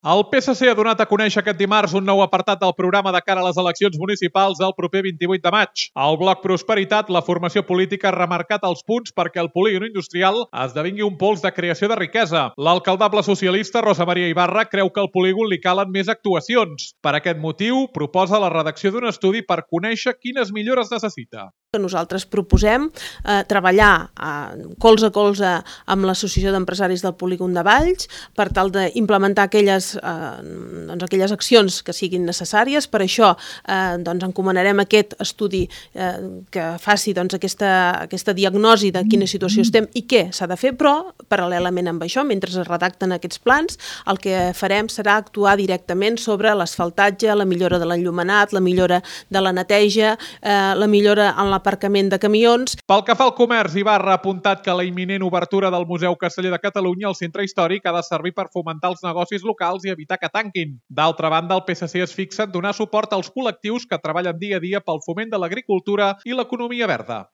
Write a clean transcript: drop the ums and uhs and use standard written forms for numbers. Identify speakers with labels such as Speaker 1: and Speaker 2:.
Speaker 1: El PSC ha donat a conèixer aquest dimarts un nou apartat del programa de cara a les eleccions municipals del proper 28 de maig. Al bloc Prosperitat, la formació política ha remarcat els punts perquè el polígon industrial esdevingui un pols de creació de riquesa. L'alcaldable socialista Rosa Maria Ibarra creu que al polígon li calen més actuacions. Per aquest motiu, proposa la redacció d'un estudi per conèixer quines millores necessita.
Speaker 2: Nosaltres proposem treballar colze a colze amb l'Associació d'Empresaris del Polígon de Valls per tal d'implementar aquelles accions que siguin necessàries. Per això encomanarem aquest estudi que faci aquesta diagnosi de quina situació estem i què s'ha de fer, però paral·lelament amb això, mentre es redacten aquests plans, el que farem serà actuar directament sobre l'asfaltatge, la millora de l'enllumenat, la millora de la neteja, la millora en l'aparcament de camions.
Speaker 1: Pel que fa al comerç, Ibarra ha apuntat que la imminent obertura del Museu Casteller de Catalunya al centre històric ha de servir per fomentar els negocis locals i evitar que tanquin. D'altra banda, el PSC es fixa en donar suport als col·lectius que treballen dia a dia pel foment de l'agricultura i l'economia verda.